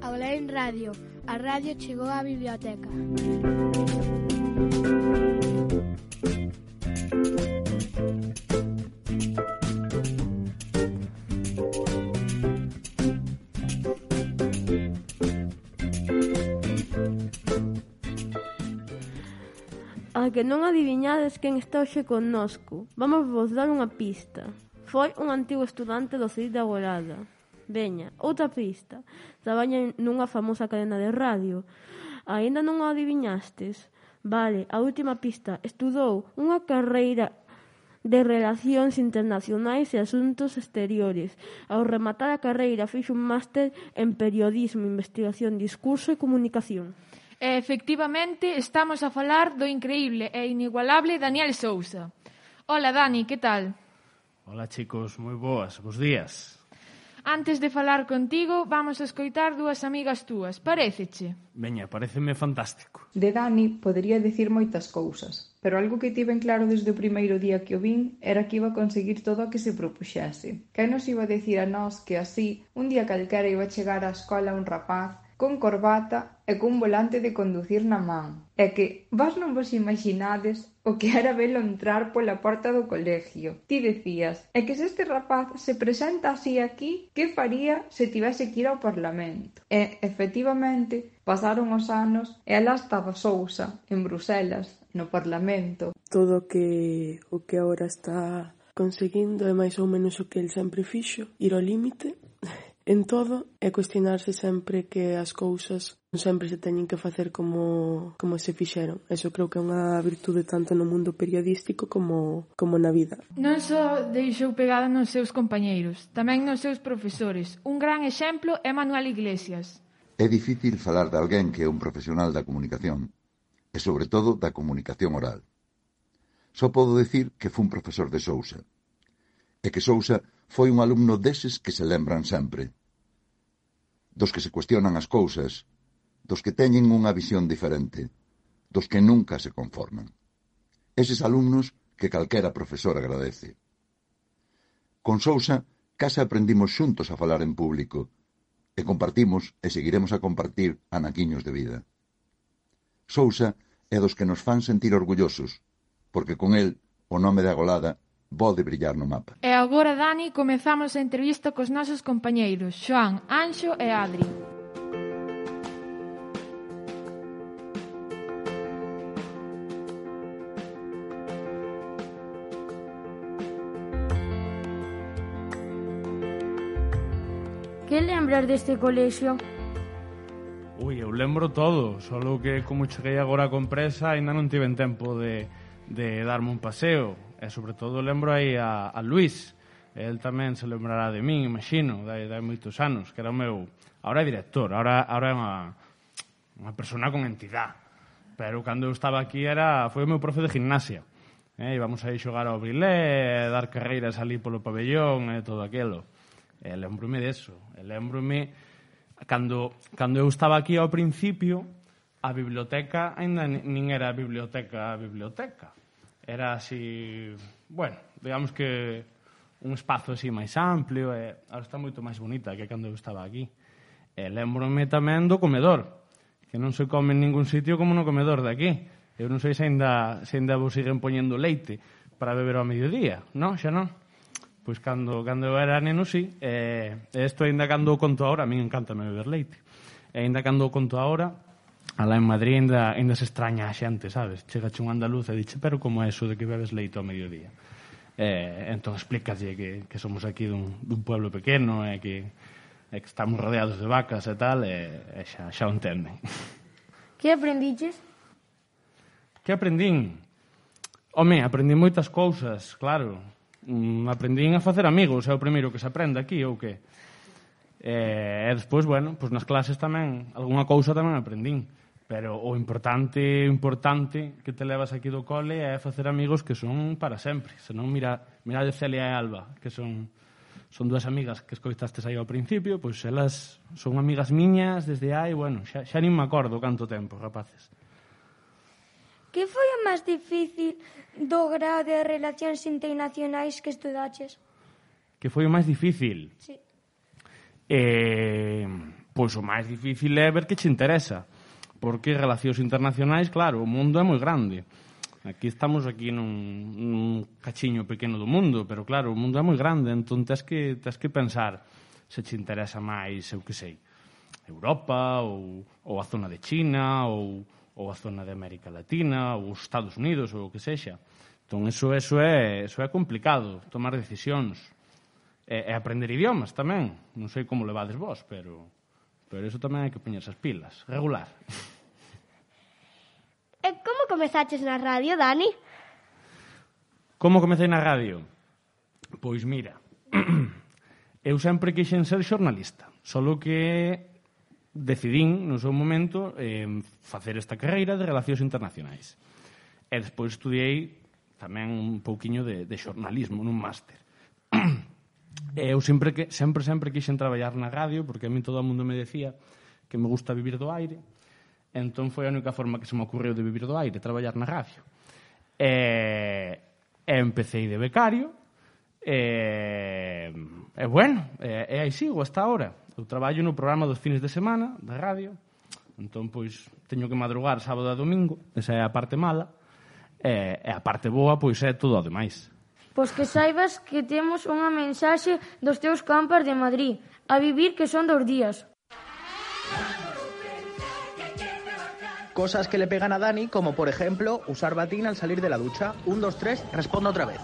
Aulaen Radio. A radio chegou á biblioteca. A que non adiviñades quen está hoxe connosco, vamos vos dar unha pista. Foi un antigo estudante do CEID da Agorada. Veña, outra pista. Traballa nunha famosa cadena de radio. Aínda non o adiviñastes? Vale, a última pista. Estudou unha carreira de Relacións Internacionais e Asuntos Exteriores. Ao rematar a carreira fixo un máster en Periodismo, Investigación, Discurso e Comunicación. E, efectivamente, estamos a falar do increíble e inigualable Daniel Sousa. Hola, Dani, que tal? Hola, chicos, moi boas, bos días. Antes de falar contigo, vamos a escoitar dúas amigas túas. Paréceche? Veña, pareceme fantástico. De Dani podería dicir moitas cousas, pero algo que tiven claro desde o primeiro día que o vin era que iba a conseguir todo o que se propuxese. Quen nos iba a dicir a nós que así, un día calquera iba a chegar á escola un rapaz con corbata e cun volante de conducir na man. E que vos non vos imaginades o que era velo entrar pola porta do colegio. Ti decías, é que se este rapaz se presenta así aquí, que faría se tivese que ir ao Parlamento? E, efectivamente, pasaron os anos e alá estaba Sousa, en Bruselas, no Parlamento. Todo o que agora está conseguindo é máis ou menos o que el sempre fixo, ir ao límite en todo e cuestionarse sempre que as cousas non sempre se teñen que facer como se fixeron. Eso creo que é unha virtude tanto no mundo periodístico como na vida. Non só deixou pegada nos seus compañeiros, tamén nos seus profesores. Un gran exemplo é Manuel Iglesias. É difícil falar de alguén que é un profesional da comunicación e, sobre todo, da comunicación oral. Só podo decir que fun profesor de Sousa e que Sousa foi un alumno deses que se lembran sempre, dos que se cuestionan as cousas, dos que teñen unha visión diferente, dos que nunca se conforman. Eses alumnos que calquera profesor agradece. Con Sousa case aprendimos xuntos a falar en público e compartimos e seguiremos a compartir anaquiños de vida. Sousa é dos que nos fan sentir orgullosos, porque con el o nome de Agolada pode brillar no mapa. E agora, Dani, comezamos a entrevista cos nosos compañeiros, Xoán, Anxo e Adri. Que lembras deste colexio? Ui, eu lembro todo, solo que como cheguei agora con presa ainda non tiven tempo de darme un paseo. E sobre todo lembro aí a Luís. El tamén se lembrará de min, imagino, de moitos anos, que era o meu... Ahora é director, ahora é unha persona con entidade. Pero cando eu estaba aquí foi o meu profe de gimnasia. Íbamos aí xogar ao brilé, dar carreiras ali polo pabellón e todo aquilo. Lembrome deso. Lembrome cando eu estaba aquí ao principio, a biblioteca ainda nin era a biblioteca. Era así, bueno, digamos que un espazo así máis amplio e ahora está moito máis bonita que cando eu estaba aquí. Lembrome tamén do comedor, que non se come en ningún sitio como no comedor de aquí. Eu non sei se ainda vos siguen poñendo leite para beber ao mediodía, non? Xa non? Pois cando eu era neno, sí. Isto ainda cando o conto ahora, a min encantame beber leite. E ainda cando o conto ahora, alá en Madrid ainda se extraña a xente, sabes? Chegache un andaluz e dixe, pero como é eso de que bebes leite ao mediodía? Entón explícalle que somos aquí dun pueblo pequeno e que estamos rodeados de vacas e tal, e xa o entenden. Que aprendiches? Que aprendín? Home, aprendí moitas cousas, claro. Aprendín a facer amigos, é o primeiro que se aprende aquí, ou que? E despois, bueno, pois nas clases tamén, algunha cousa tamén aprendín. Pero o importante que te levas aquí do cole é facer amigos que son para sempre. Senón mira de Celia e Alba, que son dúas amigas que escoitastes aí ao principio, pois elas son amigas miñas desde hai, bueno, xa nin me acordo canto tempo, rapaces. Que foi o máis difícil do grao de Relacións Internacionais que estudaches? Que foi o máis difícil? Sí. Pois o máis difícil é ver que che interesa. Porque relacións internacionais, claro, o mundo é moi grande. Aquí estamos nun cachiño pequeno do mundo, pero claro, o mundo é moi grande, entón tens que pensar se che interesa máis, eu que sei, Europa, ou a zona de China, ou a zona de América Latina, ou os Estados Unidos, ou o que sexa. Entón, eso é complicado, tomar decisións. E aprender idiomas tamén. Non sei como levades vos, pero eso tamén hai que poñerse as pilas. Regular. E como comezaches na radio, Dani? Como comecei na radio? Pois mira, eu sempre quixen ser xornalista, solo que decidín no seu momento facer esta carreira de Relacións Internacionais. E despois estudiei tamén un pouquiño de xornalismo nun máster. Eu sempre quixen traballar na radio, porque a mí todo o mundo me decía que me gusta vivir do aire. Entón foi a única forma que se me ocurreu de vivir do aire, traballar na radio. E empecéi de becario, e bueno, e aí sigo hasta ahora. Eu traballo no programa dos fines de semana da radio, entón pois teño que madrugar sábado e domingo, esa é a parte mala, e a parte boa pois é todo o demais. Pois que saibas que temos unha mensaxe dos teus campers de Madrid, a vivir que son 2 días. Cosas que le pegan a Dani, como por ejemplo, usar batín al salir de la ducha. 1, 2, 3, responda otra vez.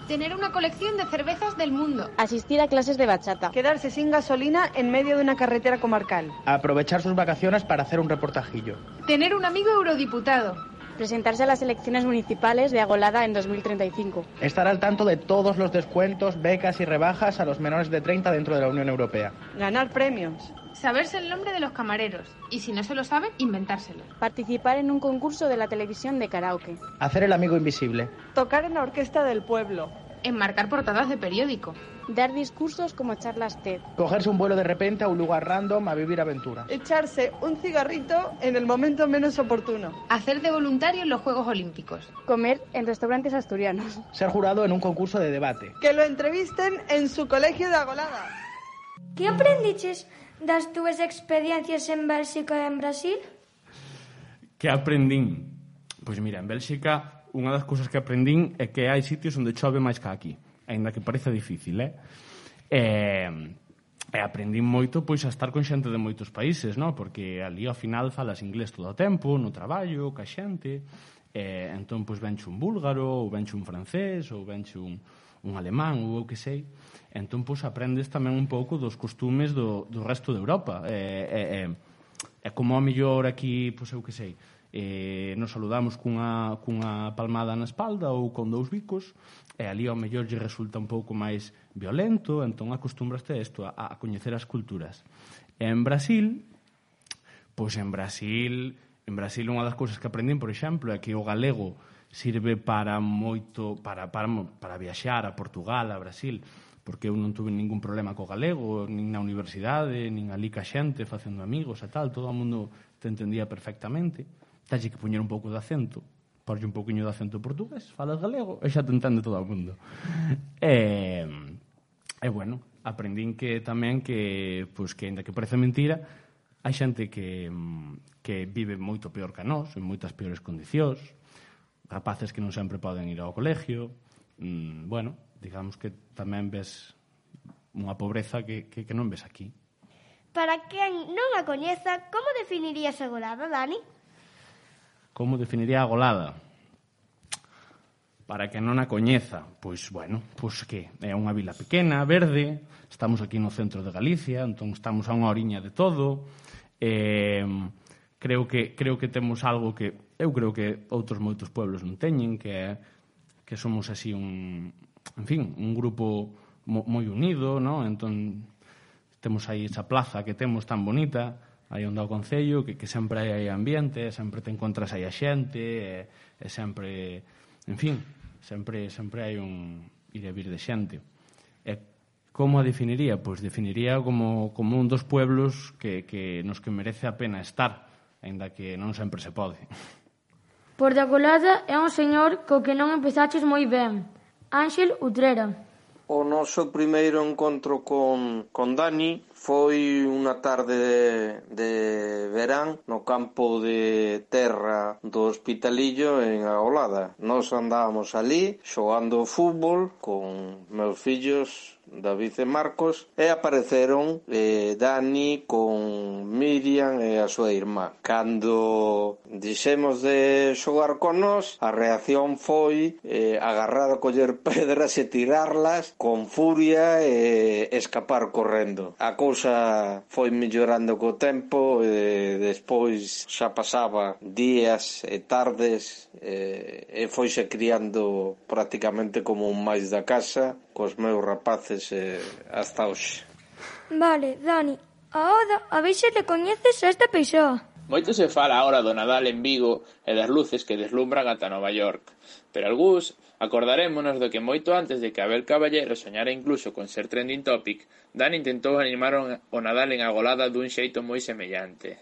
Tener una colección de cervezas del mundo. Asistir a clases de bachata. Quedarse sin gasolina en medio de una carretera comarcal. Aprovechar sus vacaciones para hacer un reportajillo. Tener un amigo eurodiputado. Presentarse a las elecciones municipales de Agolada en 2035. Estar al tanto de todos los descuentos, becas y rebajas a los menores de 30 dentro de la Unión Europea. Ganar premios. Saberse el nombre de los camareros. Y si no se lo saben, inventárselo. Participar en un concurso de la televisión de karaoke. Hacer el amigo invisible. Tocar en la orquesta del pueblo. Enmarcar portadas de periódico. Dar discursos como charlas TED. Cogerse un vuelo de repente a un lugar random a vivir aventuras. Echarse un cigarrito en el momento menos oportuno. Hacer de voluntario en los Juegos Olímpicos. Comer en restaurantes asturianos. Ser jurado en un concurso de debate. Que lo entrevisten en su colegio de Agolada. Que aprendiches das túas experiencias en Bélxica e en Brasil? Que aprendín? Pois mira, en Bélxica unha das cousas que aprendín é que hai sitios onde chove máis que aquí, aínda que parece difícil, E aprendín moito pois a estar con xente de moitos países, non? Porque ali ao final falas inglés todo o tempo, no traballo, ca xente, entón pois venche un búlgaro, ou venche un francés, ou venche un alemán, ou o que sei. Entón pois aprendes tamén un pouco dos costumes do resto de Europa. E como a mellor aquí, pois eu que sei, nos saludamos cunha palmada na espalda ou con 2 bicos, e ali ao mellor lle resulta un pouco máis violento, entón acostúmbraste a isto, a coñecer as culturas. En Brasil, pois en Brasil unha das cousas que aprendín, por exemplo, é que o galego sirve para moito, para viaxar a Portugal, a Brasil, porque eu non tuve ningún problema co galego, nin na universidade, nin ali ca xente, facendo amigos e tal, todo o mundo te entendía perfectamente. Tens que poñer un pouco de acento, porlle un pouquiño de acento portugués, falas galego, e xa te entende todo o mundo. E bueno, aprendín que tamén que, pois, que ainda que parece mentira, hai xente que vive moito peor que nós, en moitas peores condicións, rapaces que non sempre poden ir ao colegio, bueno, digamos que tamén ves unha pobreza que non ves aquí. Para quen non a coñeza, como definirías a Agolada, Dani? Como definiría a Agolada? Para que non a coñeza, pois, bueno, pois que é unha vila pequena, verde, estamos aquí no centro de Galicia, entón estamos a unha horiña de todo, creo que temos algo que eu creo que outros moitos pueblos non teñen, que somos así un grupo moi unido, non? Entón temos aí esa plaza que temos tan bonita, aí onde ao Concello, que sempre hai ambiente, sempre te encontras aí a xente, e sempre, en fin, sempre hai un ir e vir de xente. E como a definiría? Pois definiría como un dos pueblos nos que merece a pena estar, aínda que non sempre se pode. Por de Agolada é un señor co que non empezaches moi ben, Ángel Utrera. O noso primeiro encontro con Dani foi unha tarde de verán no campo de terra do Hospitalillo en Agolada. Nos andábamos ali xogando fútbol con meus fillos David e Marcos e apareceron Dani con Miriam e a súa irmá. Cando dixemos de xogar con nós, a reacción foi agarrar a coller pedras e tirarlas con furia e escapar correndo. A cousa foi mellorando co tempo e despois xa pasaba días e tardes e foise criando prácticamente como un máis da casa cos meus rapaces hasta hoxe. Vale, Dani, ahora a ver se le coñeces a esta persoa. Moito se fala agora do Nadal en Vigo e das luces que deslumbran ata Nova York, pero algúns acordarémonos do que moito antes de que Abel Caballero soñara incluso con ser trending topic, Dani intentou animar o Nadal en Agolada dun xeito moi semellante.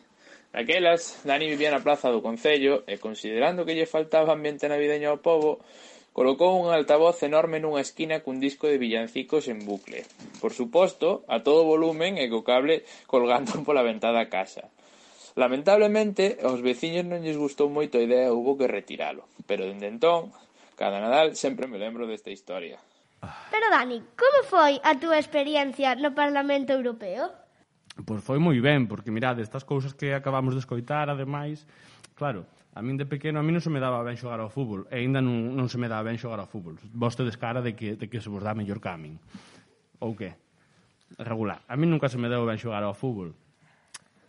Naquelas, Dani vivía na plaza do Concello e, considerando que lle faltaba ambiente navideño ao pobo, colocou un altavoz enorme nunha esquina cun disco de villancicos en bucle. Por suposto, a todo volumen e co cable colgando pola ventada da casa. Lamentablemente, aos veciños non lles gustou moito a idea e houbo que retiralo. Pero dende entón, cada Nadal sempre me lembro desta historia. Pero Dani, como foi a túa experiencia no Parlamento Europeo? Pois foi moi ben, porque mirade, estas cousas que acabamos de escoitar, ademais, claro, a min de pequeno, a min non se me daba ben xogar ao fútbol, e ainda non se me daba ben xogar ao fútbol. Vostedes cara de que se vos dá mellor que a min. Ou que? Regular. A min nunca se me deu ben xogar ao fútbol.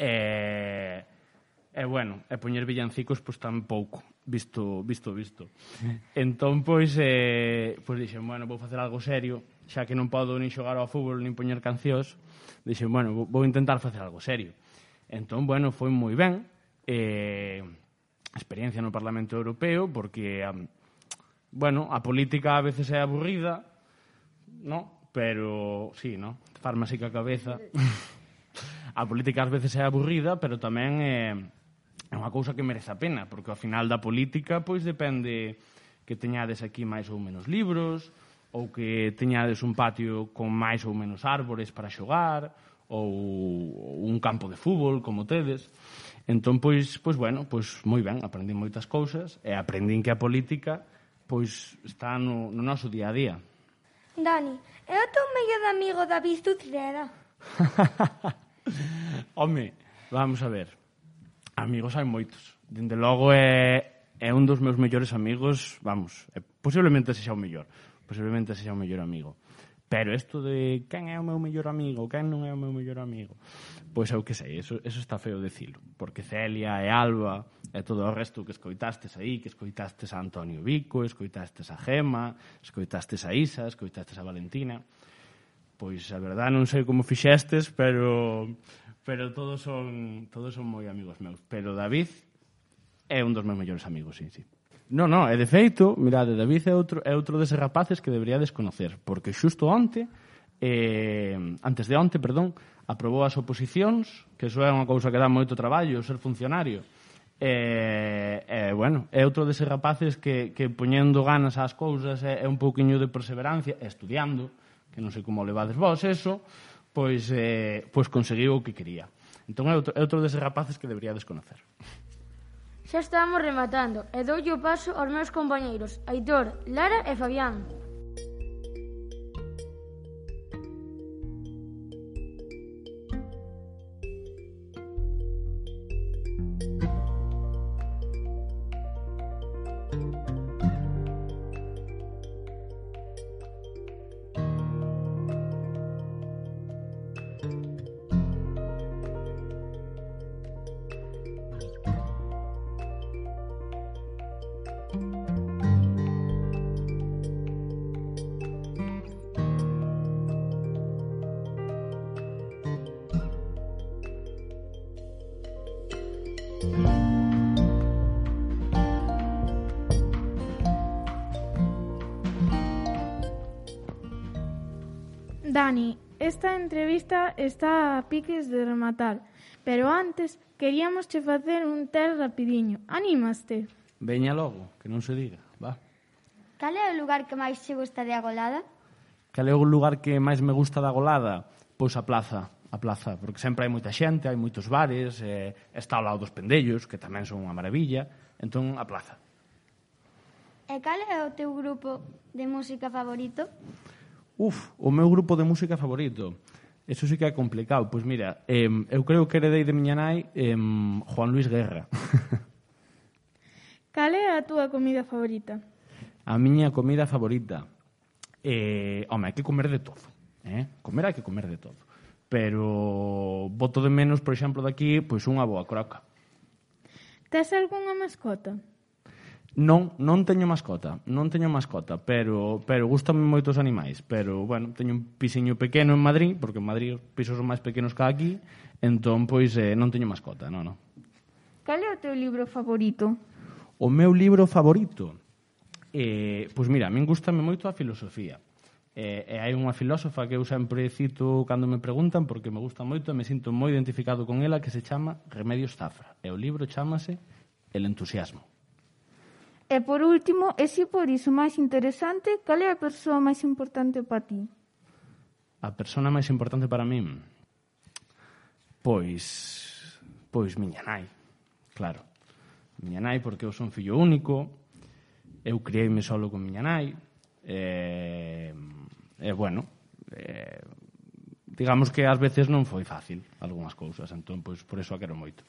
E bueno, e poñer villancicos, pois tampouco, visto. Entón, pois dixen, bueno, vou facer algo serio, xa que non podo nin xogar ao fútbol, nin poñer cancións, dixen, bueno, vou intentar facer algo serio. Entón, bueno, foi moi ben, experiencia no Parlamento Europeo, porque, bueno, a política a veces é aburrida, no? Pero, sí, no? Farmásica cabeza. A política ás veces é aburrida, pero tamén é unha cousa que merece a pena, porque ao final da política, pois depende que teñades aquí máis ou menos libros, ou que teñades un patio con máis ou menos árbores para xogar, ou un campo de fútbol, como tedes. Entón, pois bueno, pois moi ben, aprendín moitas cousas e aprendín que a política pois está no noso día a día. Dani, é o teu mellor amigo David Utrera? Home, vamos a ver. Amigos hai moitos. Dende logo é un dos meus mellores amigos, vamos, posiblemente sexa o mellor amigo. Pero isto de quen é o meu mellor amigo, quen non é o meu mellor amigo, pois eu que sei, eso está feo dicilo, porque Celia e Alba e todo o resto que escoitastes aí, que escoitastes a Antonio Vico, escoitastes a Gema, escoitastes a Isa, escoitastes a Valentina, pois a verdade non sei como fixestes, pero todos son moi amigos meus. Pero David é un dos meus mellores amigos, sí. Non, e de feito, mirade, David é outro deses rapaces que deberíades conocer, porque xusto antes de onte, aprobou as oposicións, que iso é unha cousa que dá moito traballo, ser funcionario. Bueno, é outro deses rapaces que poñendo ganas ás cousas é un pouquiño de perseverancia, estudiando, que non sei como levades vos eso, pois conseguiu o que quería. Entón é outro deses rapaces que deberíades conocer. Xa estamos rematando e doulle o paso aos meus compañeiros Aitor, Lara e Fabián. Dani, esta entrevista está a piques de rematar, pero antes queríamos che facer un test rapidiño. Anímaste? Veña logo, que non se diga, va. Cal é o lugar que máis che gusta de Agolada? Cal é o lugar que máis me gusta da Golada? Pois a plaza, porque sempre hai moita xente, hai moitos bares, está ao lado dos pendellos, que tamén son unha maravilla, entón a plaza. E cal é o teu grupo de música favorito? O meu grupo de música favorito. Eso sí que é complicado. Pois mira, eu creo que heredei de miña nai Juan Luis Guerra. Cal é a túa comida favorita? A miña comida favorita? Home, hai que comer de todo. Comer hai que comer de todo. Pero boto de menos, por exemplo, daqui, pois unha boa croca. Tes algunha mascota? Non teño mascota, pero gustan moitos animais, pero, bueno, teño un pisiño pequeno en Madrid, porque en Madrid os pisos son máis pequenos que aquí, entón, pois, non teño mascota, non. Cal é o teu libro favorito? O meu libro favorito? Pois mira, a min gustame moito a filosofía. E hai unha filósofa que eu sempre cito cando me preguntan, porque me gusta moito e me sinto moi identificado con ela, que se chama Remedios Zafra. E o libro chámase El entusiasmo. E por último, e si por iso máis interesante, cal é a persoa máis importante para ti? A persona máis importante para min? Pois miña nai, claro. Miña nai, porque eu son fillo único, eu criei-me solo con miña nai, bueno, digamos que ás veces non foi fácil algunhas cousas, entón, pois, por eso a quero moito.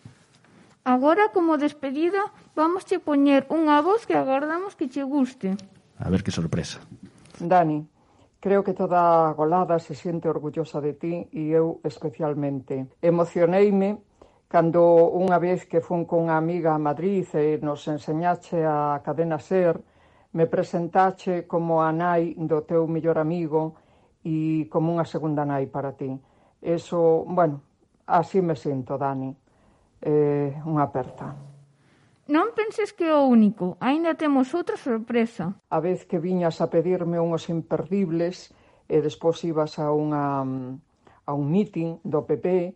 Agora, como despedida, vamos che poñer unha voz que agardamos que che guste. A ver que sorpresa. Dani, creo que toda a Golada se siente orgullosa de ti e eu especialmente. Emocioneime cando unha vez que fun con unha amiga a Madrid e nos enseñache a Cadena SER, me presentache como a nai do teu mellor amigo e como unha segunda nai para ti. Eso, bueno, así me sinto, Dani. Unha aperta. Non penses que é o único, aínda temos outra sorpresa. A vez que viñas a pedirme unhos imperdibles e despois ibas a un meeting do PP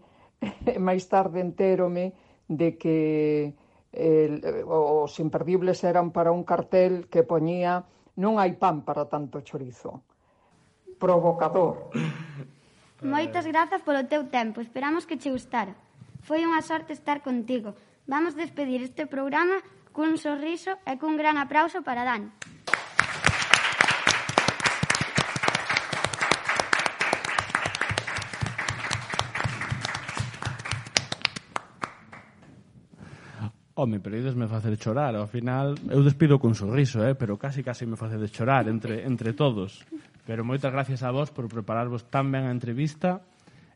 e máis tarde entérome de que os imperdibles eran para un cartel que poñía non hai pan para tanto chorizo. Provocador. Moitas grazas polo teu tempo, esperamos que che gustara. Foi unha sorte estar contigo. Vamos despedir este programa cun sorriso e cun gran aplauso para Dani. Home, pero idesme facer chorar. Ao final, eu despido cun sorriso, pero casi me facedes chorar entre todos. Pero moitas gracias a vos por prepararvos tan ben a entrevista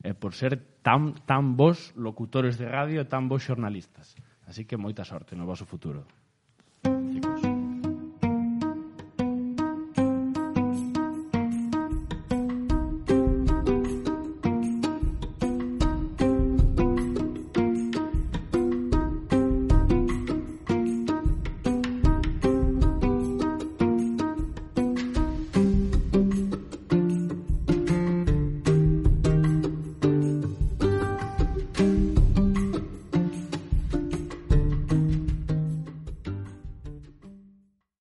e por ser tan bons locutores de radio e tan bons xornalistas. Así que moita sorte no voso futuro.